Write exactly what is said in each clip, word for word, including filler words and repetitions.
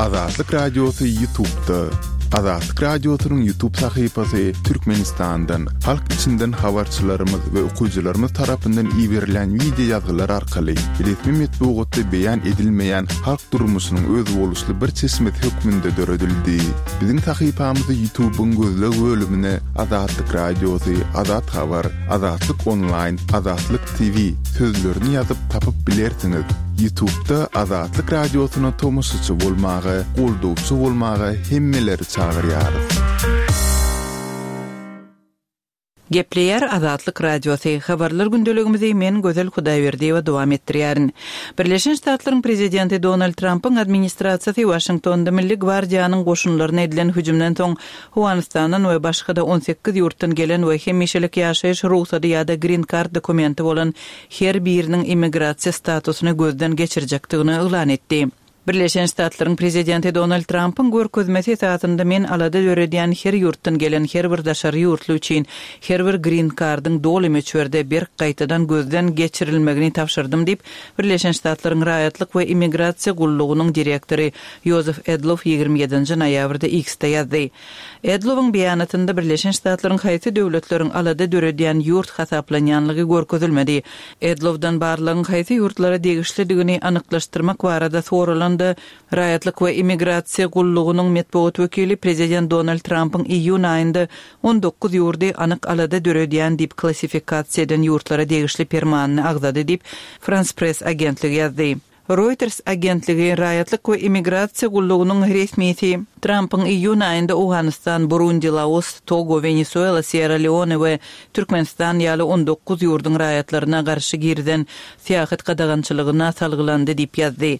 Azatlyk Radiosy YouTube'da. Azatlyk Radiosynyň YouTube sahypasy Türkmenistandan, halk içinden habarçylarymyz we okyjylarymyz tarapyndan iberilen wideo ýazgylar arkaly resmi metbugatda beýan edilmeýän halk durmuşynyň özboluşly bir çeşmesi hökmünde döredildi. Biziň sahypamyzy YouTube'yň gözleg bölümine Azatlyk Radiosy, Azat Habar, Azatlyk Online, Azatlyk T V sözlerini ýazyp tapyp bilersiňiz. YouTube'da Azatlyk Radiosyna tomaşaçy bolmaga, goldawçy bolmaga hemmeleri çagyrýarys. Gepleýär Azatlyk Radiosy. Habarlar gündeligimizi men Gözel Hudaýberdiýewa dowam etdirýärin. Birleşen Ştatlaryň prezidenti Donald Trumpyň administrasiýasy Washingtonda Milli Gwardiýanyň goşunlaryna edilen hüjümden soň Owganystandan we başga-da on sekiz ýurtdan gelen we hemişelik ýaşaýyş rugsady ýa-da green card dokumenti bolan her biriniň immigrasiýa statusyny gözden geçirjekdigini yglan etdi. Birleşen Ştatlaryň prezidenti Donald Trumpyň görkezmesi esasynda men alada döredýän her ýurtdan gelen her bir daşary ýurtly üçin her bir green cardyň doly möçberde berk gaýtadan gözden geçirilmegini tabşyrdym diýip, Birleşen Ştatlaryň raýatlyk we immigrasiýa gullugynyň direktory Joseph Edlow ýigrimi ýedinji noýabrda X-de ýazdy. Edlowyň beýanatynda Birleşen Ştatlaryň haýsy döwletleriň alada döredýän ýurt hasaplanýanlygy görkezilmedi. Edlowdan barlygyň haýsy ýurtlara degişlidigini anyklaşdyrmak barada soralanda Raýatlyk we immigrasiýa gullugynyň metbugat wekili prezident Donald Trumpyň iýun aýynda on dokuz ýurdy anyk alada döredýän diýip klassifikasiýa eden ýurtlara degişli permanyny agzady diýip France Press agentligi ýazdy. Reuters agentligi Raýatlyk we immigrasiýa gullugynyň resmisi Trumpyň iýun aýynda Owganystan, Burundi, Laos, Togo, Venezuela, Sierra Leone we Türkmenistan ýaly on dokuz ýurduň raýatlaryna garşy girizen syýahat gadagançylygyna salgylandy diýip ýazdy.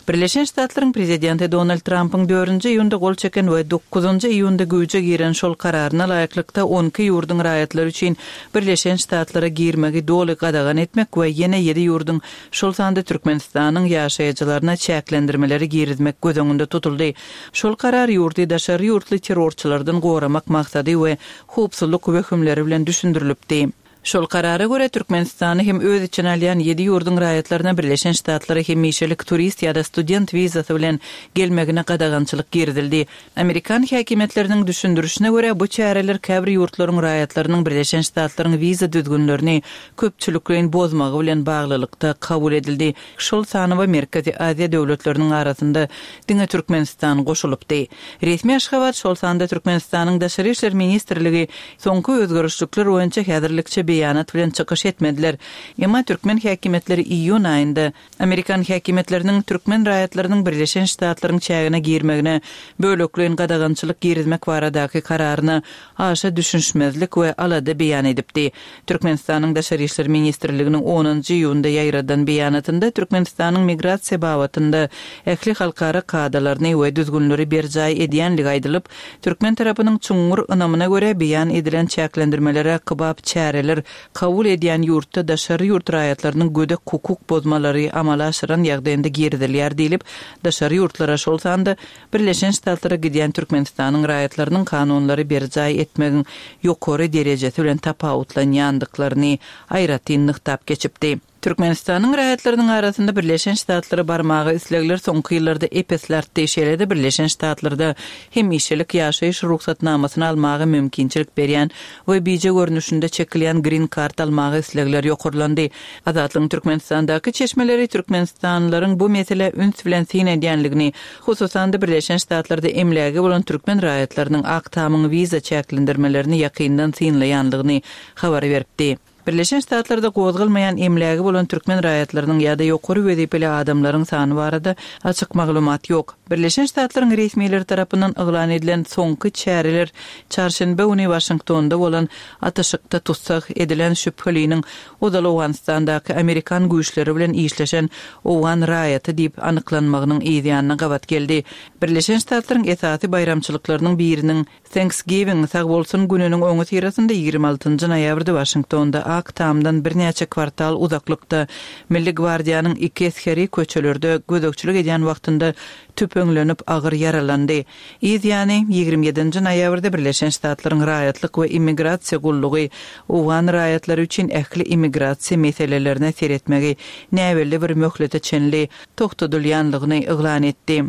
Birleşen Ştatlaryň prezidenti Donald Trumpyň dördünji iýunda gol çeken we dokuzynjy iýunda güýje giren şol kararyna laýyklykda on iki ýurduň raýatlary üçin Birleşen Ştatlara girmegi doly gadagan etmek we ýene ýedi ýurduň, şol sanda Türkmenistanyň ýaşaýjylaryna çäklendirmeleri girizmek göz öňünde tutuldy. Şol karar ýurdy daşary ýurtly terrorçylardan goramak maksady we howpsuzlyk wehimleri bilen düşündirilipdi. Şol karara görä Türkmenistany hem öz içine alýan ýedi ýurduň raýatlaryna Birleşen Ştatlara hemişelik turist ýa-da student wizasy bilen gelmegine gadagançylyk girizildi. Amerikan häkimiýetleriniň düşündirişine görä bu çäreler käbir ýurtlaryň raýatlarynyň Birleşen Ştatlaryň wiza düzgünlerini köpçülikleýin bozmagy bilen baglylykda kabul edildi. Şol sanawa Merkezi Aziýa döwletleriniň arasynda diňe Türkmenistan goşulypdy. Resmi Aşgabat şol sanda Türkmenistanyň Daşary işler ministrligi soňky özgerişlikler boýunça häzirlikçe beýanat bilen çykyş etmediler. Emma türkmen häkimiýetleri iýun aýynda Amerikan häkimiýetleriniň türkmen raýatlarynyň Birleşen Ştatlaryň çägine girmegine bölekleýin gadagançylyk girizmek baradaky kararyna aşa düşünişmezlik we alada beýan edipdi. Türkmenistanyň Daşary işler ministrliginiň onunjy iýunda ýaýradan beýanatynda Türkmenistanyň migrasiýa babatynda ähli halkara kadalaryny we düzgünleri berjaý edýänligi aýdylyp, türkmen tarapynyň çuňňur ynamyna görä beýan edilen çäklendirmelere kybap çäreler kabul edýän ýurtda daşary ýurt raýatlarynyň gödek hukuk bozmalary amala aşyran ýagdaýynda girizilýär diýlip, daşary ýurtlara şol sanda Birleşen Ştatlara gidýän Türkmenistanyň raýatlarynyň kanunlary berjaý etmegiň ýokary derejesi bilen tapawutlanýandyklaryny aýratyn nygtap geçipdi. Türkmenistanyň raýatlarynyň arasynda Birleşen Ştatlara barmaga islegler soňky ýyllarda epesli artdy. Şeýle-de Birleşen Ştatlarda hemişelik ýaşaýyş rugsatnamasyny almaga mümkinçilik berýän we bije görnüşinde çekilýän green card almaga islegler ýokarlandy. Azatlygyň Türkmenistandaky çeşmeleri Türkmenistanlylaryň bu mesele üns bilen syn edýänligini, hususan-da Birleşen Ştatlarda emlägi bolan türkmen raýatlarynyň Ak Tamyň wiza çäklendirmelerini ýakyndan synlaýanlygyny habar beripdi. Birleşen Ştatlarda gozgalmaýan emlägi bolan türkmen raýatlarynyň ýa-da ýokary wezipeli adamlaryň sany barada açyk maglumat ýok. Birleşen Ştatlaryň resmileri tarapyndan yglan edilen soňky çäreler çarşenbe güni Waşingtonda bolan atyşykda tussag edilen şübheliniň ozal Owganystandaky Amerikan güýçleri bilen işleşen Owgan raýaty diýip anyklanmagynyň yzýanyna gabat geldi. Birleşen Ştatlaryň esasy baýramçylyklarynyň biriniň Thanksgiving sag bolsun gününiň öňi syrasynda ýigrimi altynjy noýabrda Waşingtonda Ak Tamdan birnäçe kwartal uzaklykda Milli Gwardiýanyň iki esgeri köçelerde gözegçilik edýän wagtynda tüpeňlenip agyr ýaralandy. Yz ýany ýigrimi ýedinji noýabrda Birleşen Ştatlaryň raýatlyk we immigrasiýa gullugy Owgan raýatlary üçin ähli immigrasiýa meselelerine seretmegi näbelli bir möhlete çenli togtadylýanlygyny yglan etdi.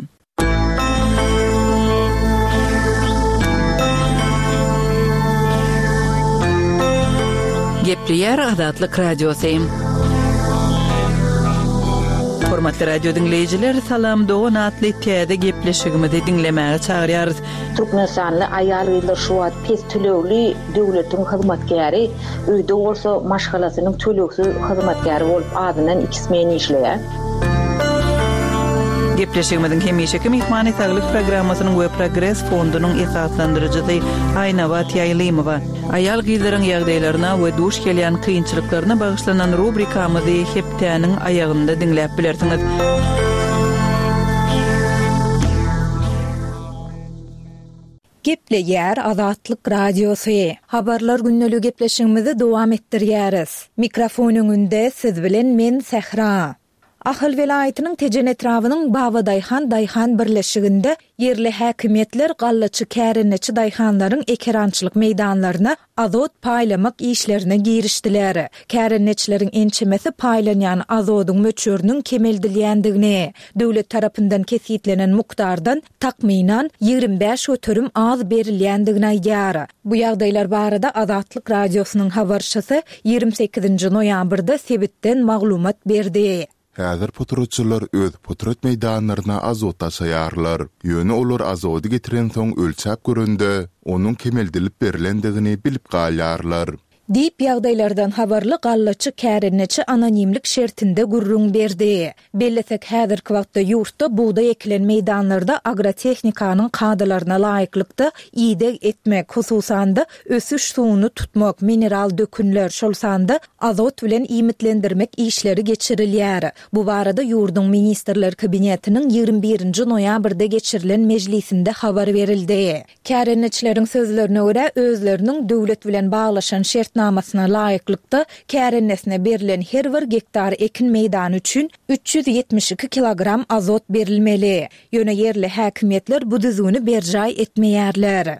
Gepleýär Azatlyk Radiosy. Hormatly radio diňleýjiler, Salam dogan atly täze gepleşigimizi diňlemäge çagyrýarys. Türkmenistanly aýal-gyzlar şu wagt pes tölegli döwletiň hyzmatkäri, öýde bolsa maşgalasynyň tölegsiz hyzmatkäri bolup azyndan iki smen işleýär. Gepleşigimiziň hemişeki myhmany saglyk programmasynyň we Progres fondunyň esaslandyryjysy Aýnabat Ýaýlymowa. Aýal-gyzlaryň ýagdaýlaryna we duş gelýän kynçylyklaryna bagyşlanan rubrikamyzy hepdäniň aýagynda diňläp bilersiňiz. Gepleýär Azatlyk Radiosy. Habarlar gündelik gepleşigimizi dowam etdirýäris. Mikrofon öňünde siz bilen men Sähra. Ahal welaýatynyň Tejen etrabynyň Babadaýhan daýhan birleşiginde ýerli häkimiýetler gallaçy kärendeçi daýhanlaryň ekerançylyk meýdanlaryna azot paýlamak işlerine girişdiler. Kärendeçileriň ençemesi paýlanýan azodyň möçberiniň kemeldilýändigini, döwlet tarapyndan kesgitlenen mukdardan takmynan ýigrimi bäş göterim az berilýändigini aýdýar. Bu ýagdaýlar barada Azatlyk Radiosynyň habarçysy ýigrimi sekizinji noýabrda sebitden maglumat berdi. Häzir potratçylar öz potrat meýdanlaryna azot daşaýarlar. Ýöne olar azody getiren soň ölçäp görende, onuň kemeldilip berilendigini bilip galýarlar. Diýip ýagdaýlardan habarly gallaçy kärendeçi anonimlik şertinde gürrüň berdi. Bellesek häzirki wagtda ýurtda bugdaý ekilen meýdanlarda agrotehnikanyň kadalaryna laýyklykda ideg etmek, hususan-da ösüş suwuny tutmak, mineral dökünler, şol sanda azot bilen iýmitlendirmek işleri geçirilýär. Bu barada ýurduň Ministrler Kabinetiniň ýigrimi birinji noýabrda geçirilen mejlisinde habar berildi. Kärendeçileriň sözlerine görä, özleriniň döwlet bilen baglaşan şertnamasyna laýyklykda kärendesine berilen her bir gektar ekin meýdany üçin üç ýüz ýetmiş iki kilogram azot berilmeli. Ýöne ýerli häkimiýetler bu düzgüni berjaý etmeýärler.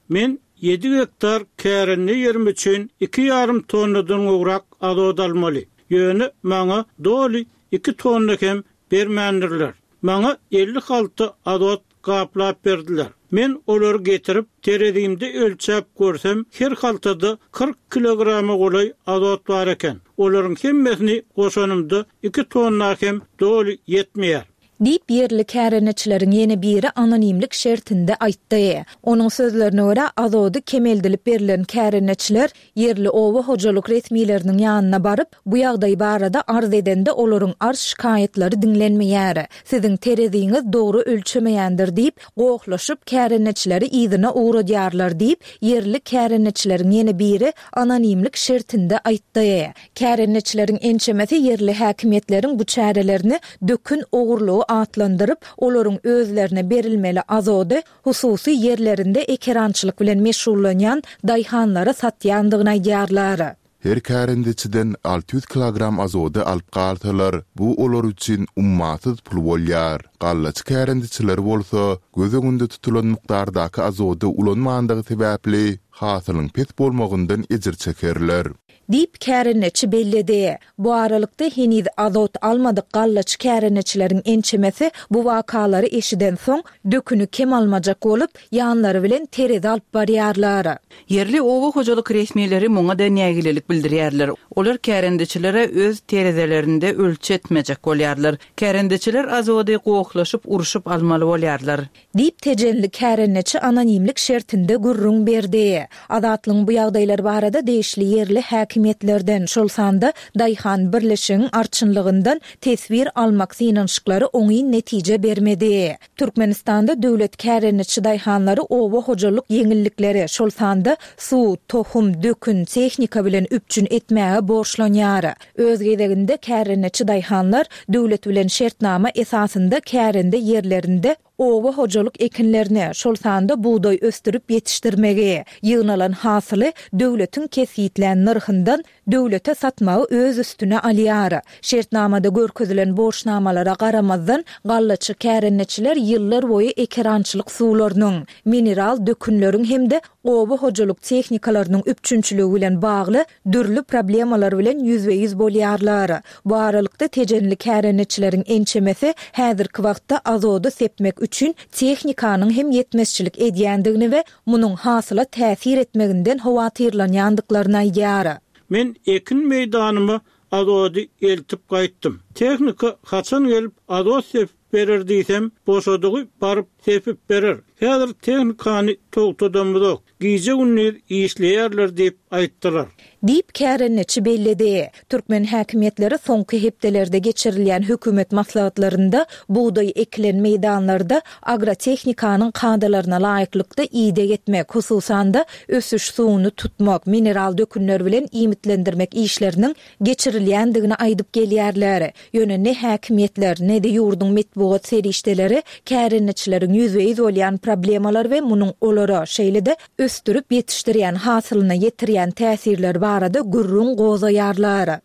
Men ýedi gektar kärende ýerim üçin iki ýarym tonnadan gowrak azot almaly. Ýöne maňa doly iki tonna hem bermändirler. Maňa elli halta azot gaplap berdiler. Men olary getirip terezimde ölçäp görsem, her haltada kyrk kilograma golaý azot bar eken. Olaryň hemmesini goşanymda iki tonna hem doly ýetmeýär. Diýip ýerli kärendeçileriň ýene biri anonimlik şertinde aýtdy. Onuň sözlerine görä, azody kemeldilip berilen kärendeçiler ýerli oba hojalyk resmileriniň ýanyna baryp, bu ýagdaý barada arz edende olaryň arz şikaýatlary diňlenmeýär. Siziň tereziňiz dogry ölçemeýändir diýip, gohlaşyp kärendeçileri yzyna ugradýarlar diýip, ýerli kärendeçileriň ýene biri anonimlik şertinde aýtdy. Kärendeçileriň ençemesi ýerli häkimiýetleriň bu çärelerini dökün ogurlygy atlandyryp, olaryň özlerine berilmeli azody hususy ýerlerinde ekerançylyk bilen meşgullanýan daýhanlara satýandygyny aýdýarlar. Her kärendeçiden alty ýüz kilogram azody alyp galsalar, bu olar üçin ummasyz pul bolýar. Gallaçy kärendeçiler bolsa, göz öňünde tutulan mukdardaky azody ulanmandygy sebäpli hasylyň pes bolmagyndan ejir çekerler. Diýip kärendeçi belledi. Bu aralykda heniz azot almadyk gallaçy kärendeçileriň ençemesi bu wakalary eşiden soň döküni kem almajak bolup, ýanlary bilen terezi alyp barýarlar. Ýerli oba hojalyk resmileri muňa da nägilelik bildirýärler. Olar kärendeçilere öz terezelerinde ölçetmejek bolýarlar. Kärendeçiler azody gohlaşyp, urşup almaly bolýarlar. Diýip tejenli kärendeçi anonimlik şertinde gürrüň berdi. Azatlygyň bu ýagdaýlar barada degişli ýerli häkimiýetlerden, şol sanda Daýhan birleşigiň arçynlygyndan teswir almak synanyşyklary oňyn netije bermedi. Türkmenistanda döwlet kärendeçi daýhanlary oba hojalyk ýeňillikleri, şol sanda suw, tohum, dökün, tehnika bilen üpjün etmäge borçlanýar. Öz gezeginde kärendeçi daýhanlar döwlet bilen şertnama esasynda kärende ýerlerinde oba hojalyk ekinlerine, şol sanda bugdaý ösdürip ýetişdirmegi, ýygnalan hasyly döwletiň kesgitlän nyrhyndan döwlete satmagy öz üstüne alýar. Şertnamada görkezilen borçnamalara garamazdan gallaçy kärendeçiler ýyllar boýy ekerançylyk suwlarynyň, mineral dökünleriň hem-de oba hojalyk tehnikalarynyň üpjünçiligi bilen bagly dürli problemalar bilen ýüzbe-ýüz bolýarlar. Bu aralykda tejenli kärendeçileriň ençemesi häzirki wagtda azody sepmek üçin tehnikanyň hem ýetmezçilik edýändigini we munuň hasyla täsir etmeginden howatyrlanýandyklaryny aýdýar. Men ekin meýdanyma azody eltip gaýtdym. Tehnika haçan gelip azot sepip berer diýsem, boşadygy baryp sepip berer. Häzir tehnikany togtadamyzok. Gije gündiz işleýärler diýip aýtdylar. Diýip kärendeçi belledi. Türkmen häkimiýetleri soňky hepdelerde geçirilýän hökümet maslahatlarynda bugdaý ekilen meýdanlarda agrotehnikanyň kadalaryna laýyklykda ideg etmek, hususan-da ösüş suwuny tutmak, mineral dökünler bilen iýmitlendirmek işleriniň geçirilýändigini aýdyp gelýärler. Ýöne ne häkimiýetler, ne-de ýurduň metbugat serişdeleri kärendeçileriň ýüzbe-ýüz bolýan problemalar we munuň olara, şeýle-de ösdürip ýetişdirýän hasylyna ýetirýän täsirler barada gürrüň gozgaýarlar.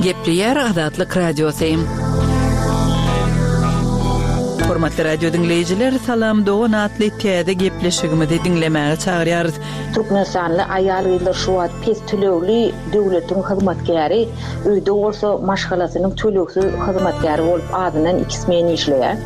Gepleýär Azatlyk Radiosy. Hormatly radio diňleýjiler, Salam Dogan atly täze gepleşigimizi diňlemäge çagyrýarys. Türkmenistanly aýal-gyzlar şu wagt pes tölegli döwletiň hyzmatkäri, öýde bolsa maşgalasynyň tölegsiz hyzmatkäri bolup azyndan iki smen işleýär.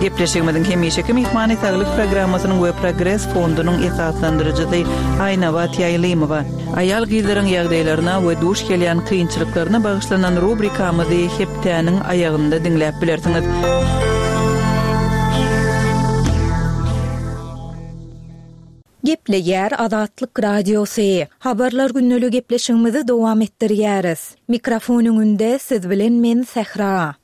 Gepleşigimiziň hemişeki myhmany saglyk programmasynyň we Progres fondunyň esaslandyryjysy Aýnabat Ýaýlymowa. Aýal-gyzlaryň ýagdaýlaryna we duş gelýän kynçylyklaryna bagyşlanan rubrikamyzy hepdäniň aýagynda diňläp bilersiňiz. Gepleýär Azatlyk Radiosy. Habarlar günlük gepleşigimizi dowam etdirýäris. Mikrofon öňünde siz bilen men Sähra.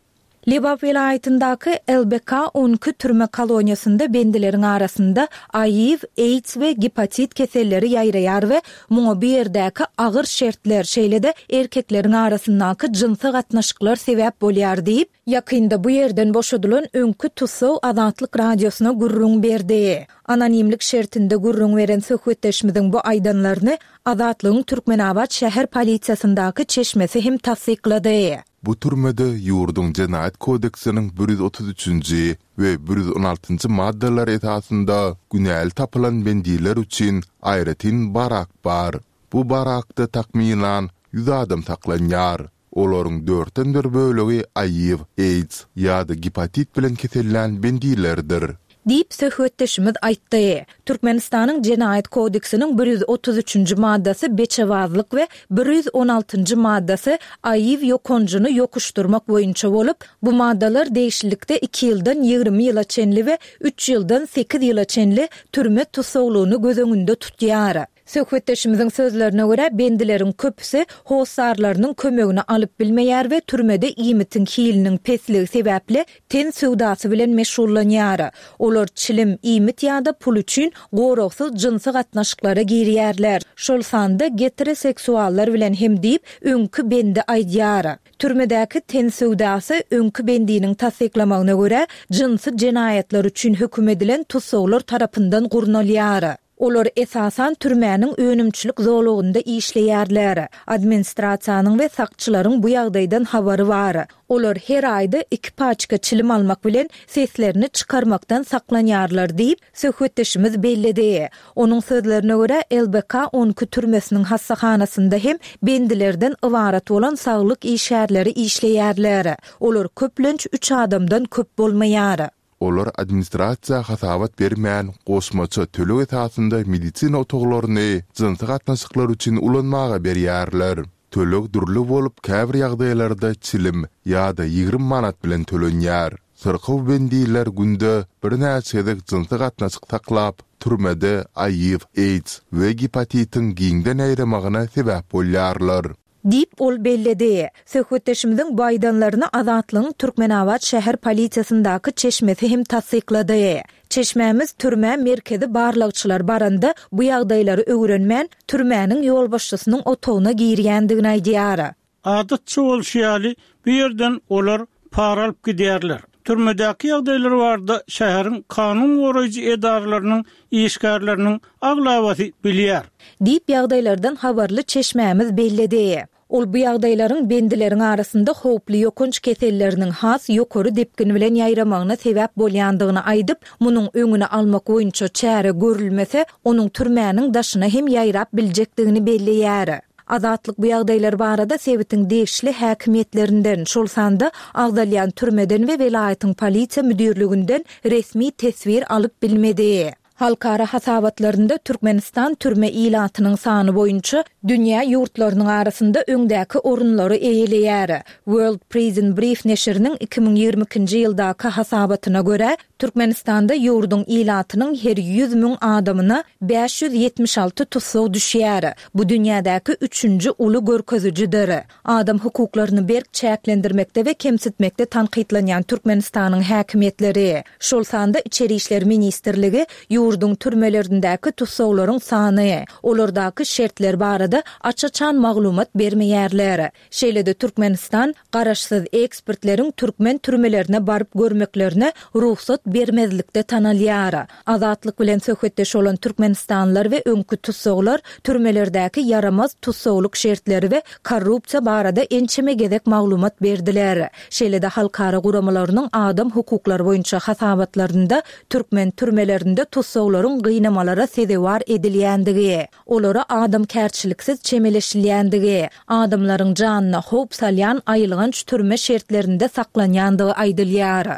Lebap welaýatyndaky L B K on iki türme koloniýasynda bendileriň arasynda A I W, AIDS we gepatit keselleri ýaýraýar we muňa bu ýerdäki agyr şertler, şeýle-de erkekleriň arasyndaky jynsy gatnaşyklar sebäp bolýar diýip, ýakynda bu ýerden boşadylan öňki tussag Azatlyk Radiosyna gürrüň berdi. Anonimlik şertinde gürrüň beren söhbetdeşimiziň bu aýdanlaryny Azatlygyň Türkmenabat şäher polisiýasyndaky çeşmesi hem tassyklady. Bu türmede ýurduň Jenaýat kodeksiniň bir ýüz otuz üçünji we bir ýüz on altynjy maddalar esasynda günäli tapylan bendiler üçin aýratyn barak bar. Bu barakda takmynan ýüz adam saklanýar. Olaryň dörtden bir bölegi A I W, AIDS ýa-da gepatit bilen kesellän bendilerdir. Diýip söhbetdeşimiz aýtdy. Türkmenistanyň Jenaýat kodeksiniň bir ýüz otuz üçünji maddasy beçewazlyk we bir ýüz on altynjy maddasy A I W ýokanjyny ýokuşdurmak boýunça bolup, bu maddalar degişlilikde iki ýyldan ýigrimi ýyla çenli we üç ýyldan sekiz ýyla çenli türme tussaglygyny göz öňünde tutýar. Söhbetdeşimiziň sözlerine görä bendileriň köpüsi hossarlarynyň kömegini alyp bilmeýär we türmede iýmitiň hiliniň pesligi sebäpli ten söwdasy bilen meşgullanýar. Olar çilim, iýmit ýa-da pul üçin goragsyz jynsy gatnaşyklara girýärler. Şol sanda geteroseksuallar bilen hem diýip öňki bendi aýdýar. Türmedäki ten söwdasy öňki bendiniň tassyklamagyna görä jynsy jenaýatlar üçin höküm edilen tussaglar tarapyndan gurnalýar. Olar esasan türmäniň önümçilik zolagynda işleýärler. Administrasiýanyň we sakçylaryň bu ýagdaýdan habary bar. Olar her aýda iki paçka çilim almak bilen seslerini çykarmakdan saklanýarlar diýip söhbetdeşimiz belledi. Onuň sözlerine görä L B K on iki türmesiniň hassahanasynda hem bendilerden ybarat bolan saglyk işgärleri işleýärler. Olar köplenç üç adamdan köp bolmaýar. Olar administrasiýa hasabat bermän, goşmaça töleg esasynda medisina otaglaryny jynsy gatnaşyklar üçin ulanmaga berýärler. Töleg dürli bolup, käbir ýagdaýlarda çilim ýa-da ýigrimi manat bilen tölenýär. Syrkaw bendiler günde birnäçe gezek jynsy gatnaşyk saklap, türmede A I W, AIDS we gepatitiň giňden ýaýramagyna sebäp bolýarlar. Diýip ol belledi. Söhbetdeşimiziň bu aýdanlaryny Azatlygyň Türkmenabat şäher polisiýasyndaky çeşmesi hem tassyklady. Çeşmämiz türmä merkezi barlagçylar baranda bu ýagdaýlary öwrenmän türmäniň ýolbaşçysynyň otagyna girýändigini aýdýar. Adatça bolşy ýaly bu ýerden olar para alyp gidýärler. Türmedäki ýagdaýlar barada şäheriň kanun goraýjy edaralarynyň işgärleriniň aglabasy bilýär. Diýip ýagdaýlardan habarly çeşmämiz belledi. Ol bu ýagdaýlaryň bendileriň arasynda howply ýokanç keselleriniň has ýokary depgin bilen ýaýramagyna sebäp bolýandygyny aýdyp, munuň öňüni almak boýunça çäre görülmese, onuň türmäniň daşyna hem ýaýrap biljekdigini belleýär. Azatlyk bu ýagdaýlar barada sebitiň degişli häkimiýetlerinden, şol sanda agzalýan türmeden we welaýatyň polisiýa müdirliginden resmi teswir alyp bilmedi. Halkara hasabatlarynda Türkmenistan türme ilatynyň sany boýunça dünýä ýurtlarynyň arasynda öňdäki orunlary eýeleýär. World Prison Brief neşiriniň iki müň ýigrimi ikinji ýyldaky hasabatyna görä, Türkmenistanda ýurduň ilatynyň her ýüz müň adamyna bäş ýüz ýetmiş alty tussag düşýär. Bu dünýädäki üçünji uly görkezijidir. Adam hukuklaryny berk çäklendirmekde we kemsitmekde tankytlanýan Türkmenistanyň häkimiýetleri, şol sanda Içeri işler ministrligi ýurduň türmelerindäki tussaglaryň sany, olardaky şertler barada aç-açan maglumat bermeýärler. Şeýle-de Türkmenistan garaşsyz ekspertleriň türkmen türmelerine baryp görmeklerine rugsat bermezlikde tanalýar. Azatlyk bilen söhbetdeş bolan türkmenistanlylar we öňki tussaglar türmelerdäki ýaramaz tussaglyk şertleri we korrupsiýa barada ençeme gezek maglumat berdiler. Şeýle-de halkara guramalarynyň adam hukuklary boýunça hasabatlarynda türkmen türmelerinde tussaglaryň gynamalara sezewar edilýändigi, olara adamkärçiliksiz çemeleşilýändigi, adamlaryň janyna howp salýan aýylganç türme şertlerinde saklanýandygy aýdylýar.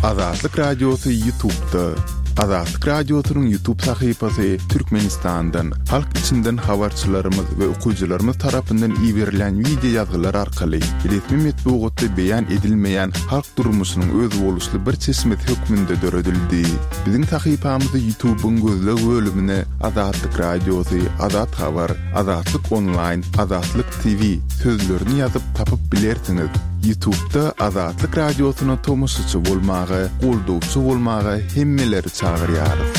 Azatlyk Radiosy YouTube'da. Azatlyk Radiosynyň YouTube sahypasy Türkmenistandan, halk içinden habarçylarymyz we okyjylarymyz tarapyndan iberilýän wideo ýazgylar arkaly resmi metbugatda beýan edilmeýän halk durmuşynyň özboluşly bir çeşmesi hökmünde döredildi. Biziň sahypamyzy YouTube'yň gözleg bölümine Azatlyk Radiosy, Azat Habar, Azatlyk Onlaýn, Azatlyk T V sözlerini ýazyp tapyp bilersiňiz. YouTube'da Azatlyk Radiosyna tomaşaçy bolmaga, goldawçy bolmaga hemmeleri çagyrýarys.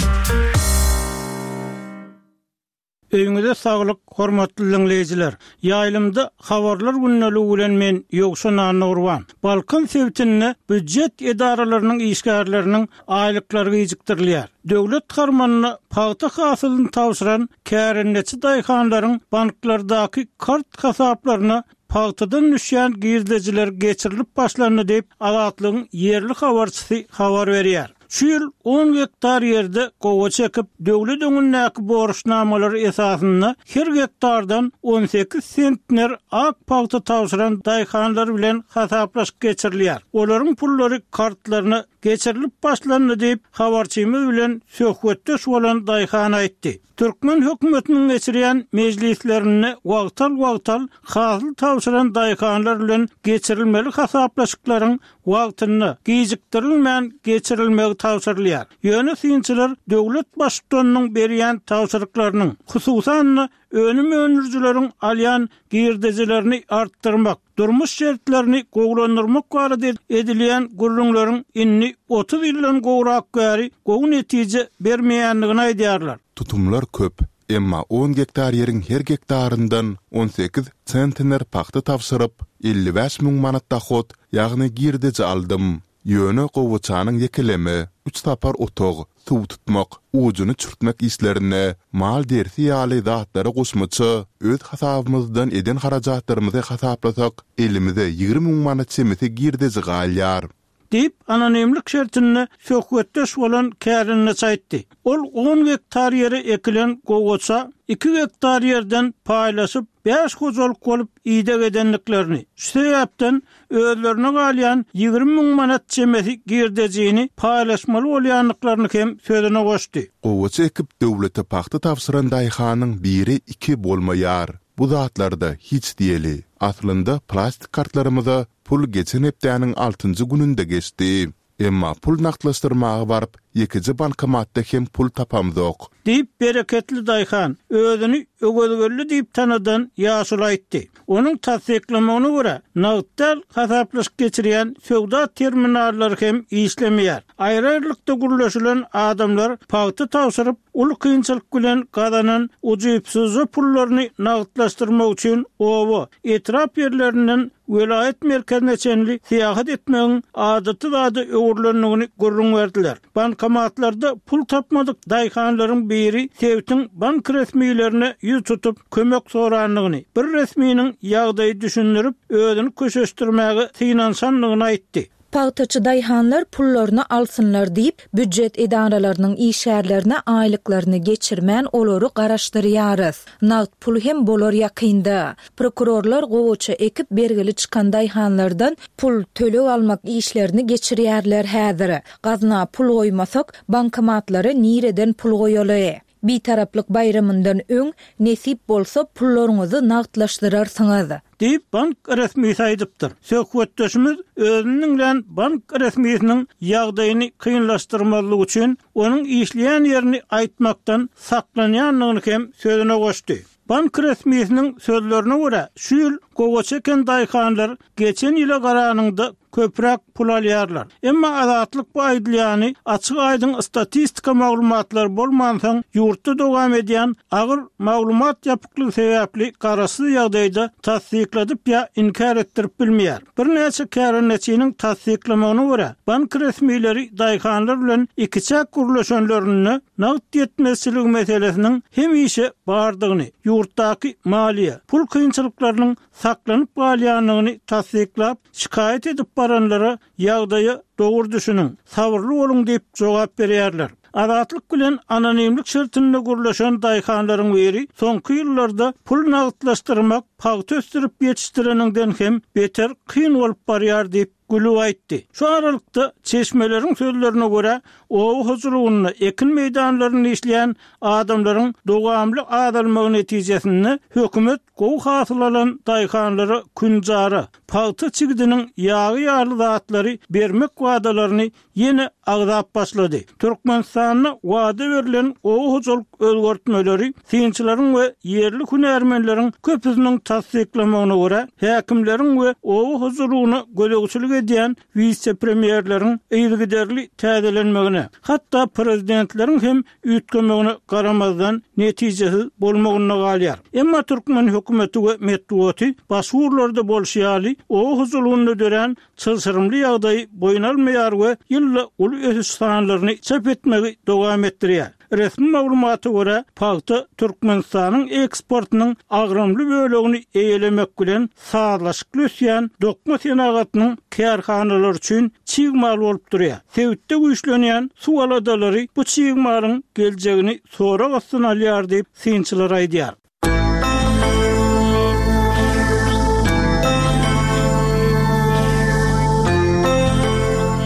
Öýüňize saglyk, hormatly diňleýjiler. Ýaýlymda habarlar gündeligi bilen men Ýowşan Annagurban. Balkan sebitinde býujet edaralarynyň işgärleriniň aýlyklary gijikdirilýär. Döwlet harmanyna pagta hasylyny tabşyran kärendeçi daýhanlaryň banklardaky kart hasaplaryna pagtadan düşýän girdejiler geçirilip başlandy diýip, Azatlygyň ýerli habarçysy habar berýär. Şu ýyl on gektar ýerde gowa çekip, döwlet öňündäki borçnamalary esasynda her gektardan on sekiz sentner ak pagta tabşyran daýhanlar bilen hasaplaşyk geçirilýär. Olaryň pullary kartlaryna geçirilip başlandy diýip, habarçymyz bilen söhbetdeş bolan daýhan aýtdy. Türkmen hökümetiniň geçirýän mejlislerinde wagtal-wagtal hasyl tabşyran daýhanlar bilen geçirilmeli hasaplaşyklaryň wagtynda gijikdirilmän geçirilmegi tabşyrylýar. Ýöne synçylar döwlet baştutanynyň berýän tabşyryklarynyň, hususan-da önüm öndürijileriň alýan girdejilerini artdyrmak, durmuş şertlerini gowulandyrmak barada edilýän gürrüňleriň indi otuz ýyldan gowrak bäri gowy netije bermeýändigini aýdýarlar. Tutumlar köp, emma on gektar ýeriň her gektaryndan on sekiz sentner pagta tabşyryp, elli bäş müň manat dahot, ýagny girdeji aldym. Ýöne gowaçanyň ýekeleme, üç sapar otag, suw tutmak, ujuny çürtmek işlerine, mal dersi ýaly zatlara goşmaça öz hasabymyzdan eden harajatlarymyzy hasaplasak, elimize ýigrimi müň manat çemesi girdeji galýar. Diýip, anonimlik şertinde söhbetdeş bolan kärendeçi aýtdy. Ol on gektar ýere ekilen gowaça iki gektar ýerden paýlaşyp, bäş hojalyk bolup ideg edendiklerini, şu sebäpden özlerine galýan ýigrimi müň manat çemesi girdejini paýlaşmaly bolýandyklaryny hem sözüne goşdy. Gowaça ekip döwlete pagta tabşyran daýhanyň biri iki bolmaýar. Bu zatlarda hiç diýeli. Aslynda plastik kartlarymyza pul geçen hepdäniň altynjy gününde geçdi. Emma pul nagtlaşdyrmaga baryp, ýekeje bankomatda hem pul tapamzok. Diýip bereketli daýhan özüni öwezgelli diýip tanadan ýaşuly aýtdy. Onuň tassyklamagyna görä, nagtdal hasaplaşyk geçirýän söwda terminallary hem işlemeýär. Aýry-aýrylykda gürleşilen adamlar pagta tabşyryp, uly kynçylyk bilen gazanan ujypsyzja pullaryny nagtlaşdyrmak üçin oba, etrap ýerlerinden welaýat merkezine çenli syýahat etmegiň adaty zada öwrülendigini gürrüň berdiler. Bankomatlarda pul tapmadyk daýhanlaryň biri sebitiň bank resmilerine ýüz tutup kömek sorandygyny, bir resminiň ýagdaýy düşündirip, özüni köşeşdirmäge synanyşandygyny aýtdy. Pagtaçy daýhanlar pullaryny alsynlar diýip, býujet edaralarynyň işgärlerine aýlyklaryny geçirmän olary garaşdyrýarys. Nagt pul hem bolar ýakynda. Prokurorlar gowaça ekip bergili çykan daýhanlardan pul töleg almak işlerini geçirýärler häzir. Gazna pul goýmasak, bankomatlara nireden pul goýaly? Bitaraplyk baýramyndan öň nesip bolsa pullaryňyzy nagtlaşdyrarsyňyz. Diýip bank resmisi aýdypdyr. Söhbetdeşimiz özüniň bilen bank resmisiniň ýagdaýyny kynlaşdyrmazlyk üçin onuň işleýän ýerini aýtmakdan saklanýandygyny hem sözüne goşdy. Bank resmisiniň sözlerine görä, şu ýyl gowaça eken daýhanlar geçen ýyla garanyňda köpräk pul alýarlar. Emma Azatlyk bu aýdylýany açyk aýdyň statistika maglumatlary bolmansoň, ýurtda dowam edýän agyr maglumat ýapyklygy sebäpli garaşsyz ýagdaýda tassykladyp ýa inkär etdirip bilmeýär. Birnäçe kärendeçiniň tassyklamagyna görä, bank resmileri daýhanlar bilen ikiçäk gürleşenlerinde nagt ýetmezçiligi meselesiniň hemişe bardygyny, ýurtdaky maliýe, pul kynçylyklarynyň saklanyp galýandygyny tassyklap, şikaýat edip baranlara ýagdaýa dogry düşüniň, sabyrly boluň diýip jogap berýärler. Azatlyk bilen anonimlik şertinde gürleşen daýhanlaryň biri soňky ýyllarda pul nagtlaşdyrmak pagta ösdürip ýetişdireniňden hem beter kyn bolup barýar diýip gülüp aýtdy. Şu aralykda çeşmeleriň sözlerine görä, oba hojalygynda ekin meýdanlarynda işleýän adamlaryň dowamly azalmagy netijesinde hökümet gowy hasyl alan daýhanlara künjara, pagta çigidiniň ýagy ýaly zatlary bermek wadalaryny ýene agzap başlady. Türkmenistanda wada berlen oba hojalyk özgertmeleri synçylaryň we ýerli hünärmenleriň köpüsiniň tassyklamagyna görä, häkimleriň we oba hojalygyna gözegçilik edýän wise-premýerleriň yzygiderli täzelenmegine, hatda prezidentleriň hem üýtgemegine garamazdan netijesiz bolmagynda galýar. Emma türkmen hökümeti we metbugaty başga ugurlarda bolşy ýaly, oba hojalygynda dörän çylşyrymly ýagdaýy boýun almaýar we ýylda uly ösüş sanlaryny çap etmegi dowam etdirýär. Resmi maglumata görä, pagta Türkmenistanyň eksportynyň agramly bölegini eýelemek bilen sazlaşykly ösýän dokma senagatynyň kärhanalary üçin çig mal bolup durýar. Sebitde güýçlenýän suw aladalary bu çig malyň geljegini sorag astyna alýar diýip, synçylar aýdýar.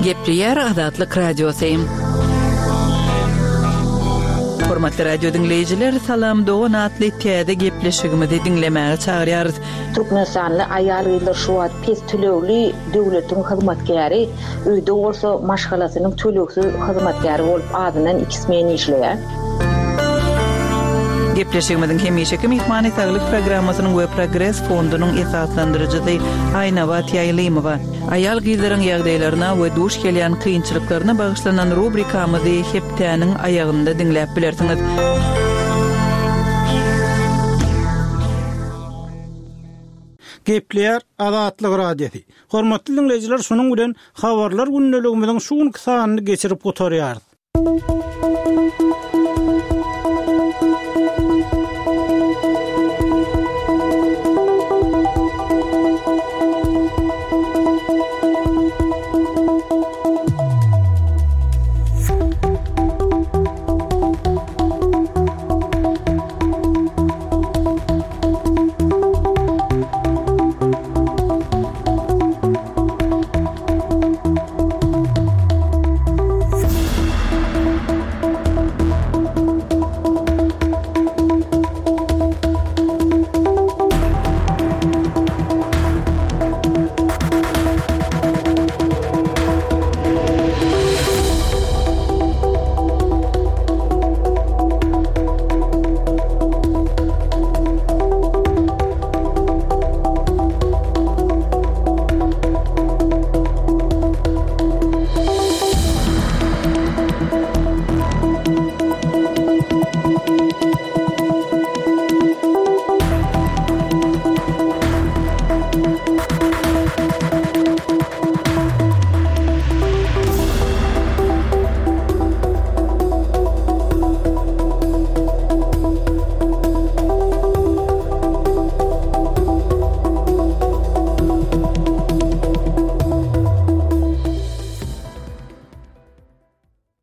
Gepleýär Azatlyk Radiosy. Hormatly radio diňleýjiler, Salam dogan atly täze gepleşigimizi diňlemäge çagyrýarys. Türkmenistanly aýal-gyzlar şu wagt pes tölegli döwletiň hyzmatkäri, öýde bolsa maşgalasynyň tölegsiz hyzmatkäri bolup azyndan iki smen işleýär. Gepleşigimiziň hemişeki myhmany Saglyk programmasynyň we Progres fondunyň esaslandyryjysy Aýnabat Ýaýlymowa. Aýal-gyzlaryň ýagdaýlaryna we duş gelýän kynçylyklaryna bagyşlanan rubrikamyzy hepdäniň aýagynda diňläp bilersiňiz. Gepleýär Azatlyk Radiosy. Hormatly diňleýjiler, şunuň bilen habarlar gündeligimiziň şu günki sanyny geçirip gutarýarys.